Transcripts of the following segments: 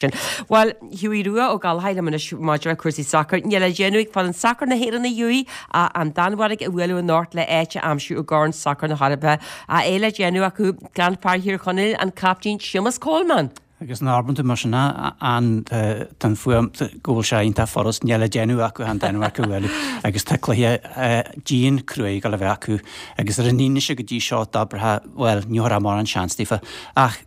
Sin. Bhuel, Hughie Rua Ó Gallchóir liom anois maidir le cúrsaí sacair. Níl le déanamh ag foireann sacair na hÉireann a Hughie ach an Danmhairg a bhualadh anocht le áit a aimsiú i gCorn Sacair na hEorpa. Ach é le déanamh acu gan fear Thír Chonaill, an captaen Séamus Coleman. Agus nuair a abrann tú mar sin an tá an fuaim go bhfuil sé iontach furast, níl le déanamh acu ach an Danmhairg a bhualadh agus tá cluiche dian cruaidh ag dul a bheith acu agus ar an fhianaise go dtí seo d'abrfá bhuel ní thabharfá mórán seans daofa ach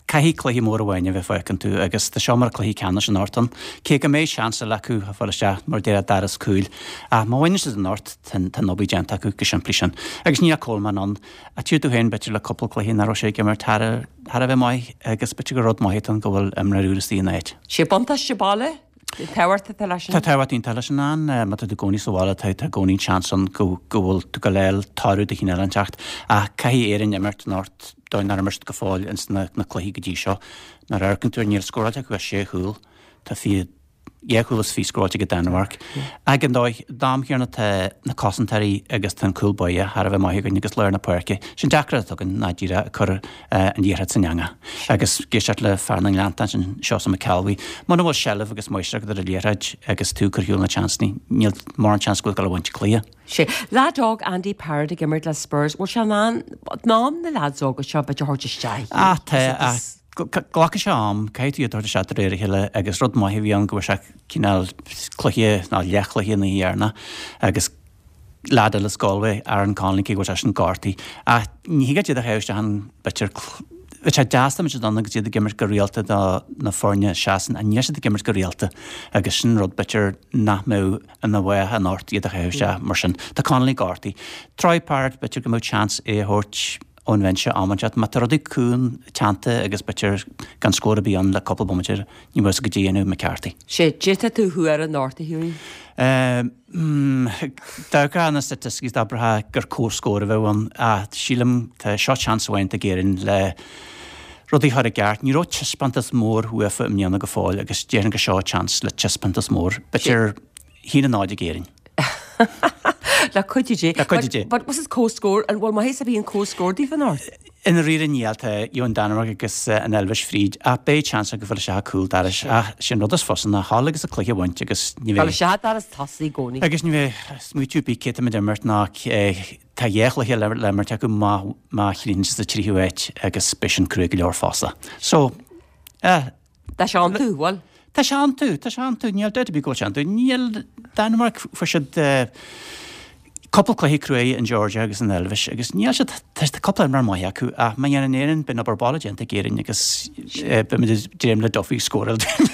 Caithfidh cluiche mór amháin a bheith fágtha iontu agus tá seo mar cluiche ceannais anocht ann. Cé go mbeidh seans eile acu a fáil isteach mar a déarfá doras cúil ach má bhaineann siad anocht tá an obair déanta acu go simplí sin. Agus níl Coleman ann. Ach tchí tú féin b'fhéidir le cúpla cluiche nach raibh sé ag imirt thar a bheith maith agus b'fhéidir gur rud maith atá ann go bhfuil imreoir úr istigh ina áit. Sé buntáiste baile Tábhacht atá leis sin. Tá tábhacht iontach leis sin ann. Má tá tú i gcónaí sa bhaile, tá i gcónaí an seans ann go bhfuil tú ag gabháil toradh de chineál inteacht. Ach caithfidh Éirinn imirt anocht dóigh nár imir siad go fóill ins na cluichí go dtí seo. Nuair a amharcann tú air níl scóráilte acu ach sé chúl. Tá 22 chúl scóráilte ag an Danmhairg. Ag an dóigh, d'am chéanna tá na cosantóirí agus tá an cúl báire thar a bheith maith againn agus lár na páirce. Sin deacracht atá againn ná díreach ag cur an liathróid san eangach. Agus ag éisteacht le fear na nGleanntach ansin, Seosamh Mac Ceallbhuí, muna bhfuil seilbh agus máistreacht agat ar an liathróid agus tú ag cur ar shiúl na seansanna, níl mórán seans go bhfuil tú ag gabháil a bhaint cluiche. Sé, leaid óg Andy Parrott ag imirt le Spurs, bhfuil sé in ann, in ann na leaids óga seo b'fhéidir a thabhairt isteach? Ah, tá, ach glacfaidh sé am, caithfidh tú iad a thabhairt isteach de réir a chéile agus rud maith a bhí ann go bhfuair sé cineál cluiche, nó leathchluiche an oíche dheireanach agus leaid eile as Galway, Aaron Connolly, cé go bhfuil seisean gortaithe. Ach ní thig leat iad a chaitheamh isteach ann, b'fhéidir, bheadh sé deas dá mbeadh siad ann agus iad ag imirt go rialta do na foirne a seasann, ach níl siad ag imirt go rialta agus sin rud b'fhéidir nach mbeadh ina mhaith anocht iad a chaitheamh isteach mar sin. Tá Connolly gortaithe. Troy Parrott, b'fhéidir go mbeadh seans é a thabhairt ón bhinse am inteacht. Má tá rudaí cúng teannta agus b'fhéidir gan scór ar bith ann le cúpla bomaite, ní bheadh a fhios agat caidé a dhéanfadh McCarthy. Sé, caidé atá tú a thuar anocht, a Hughie? D'amharcfá na staitisticí d'abrfá gur comhscór a bheadh ann ach sílim tá seo seans amháin ag Éirinn le rudaí a chur i gceart. Ní raibh taispeántas mór uafa i mbliana go fóill agus déarfainn gur seo seans le taispeántas mór. B'fhéidir 1-0 ag Éirinn. Le cuidiú Dé. Le cuidiú Dé. But what's this comhscór? An bhfuil maitheas a bhí an comhscór daofa anocht? I ndáiríre níl, tá an Danmhairg agus an Eilvéis fríd ach beidh seans acu fáil isteach cúl dorais ach sin rud is fusa ná dhul agus an cluiche a bhaint agus ní bheidh. Fáil isteach doras tosaigh i gcónaí. Agus ní bheidh smaoitiú ar bith cé tá muid ag imirt ná tá dhá chluiche le imirt acu má má chríochnaíonn siad sa tríú háit agus beidh sin cruaidh go leor fosta. So, eh. Tá sé iontu, bhuel. Tá sé iontu, tá sé iontu, níl dabht ar bith go bhfuil sé iontu. Níl Danmhairg, fuair siad cúpla cluiche cruaidh an Georgia agus an Eilvéis agus níl siad, tá cúpla imreoir maith acu ach má dhéanann Éirinn, beidh an obair baile déanta ag Éirinn agus beimid ag dréim le Duffy scóráil dúinn.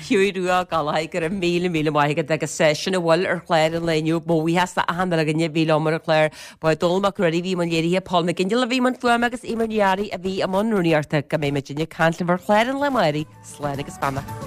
Hughie Rua Ó Gallchóir, go raibh míle míle maith agat agus sin a bhfuil ar chlár an lae inniu. Mo bhuíochas le achan duine againne a bhí liom ar an chlár. Ba é Dónall Mac Ruairí a bhí i mbun léirithe, Paul McGinley a bhí i mbun fuaime agus Eimear Ní Fhearraigh a bhí i mbun rúnaíochta. Go mbeidh muidinne ag caint libh ar chlár an lae amárach, slán agus beannacht.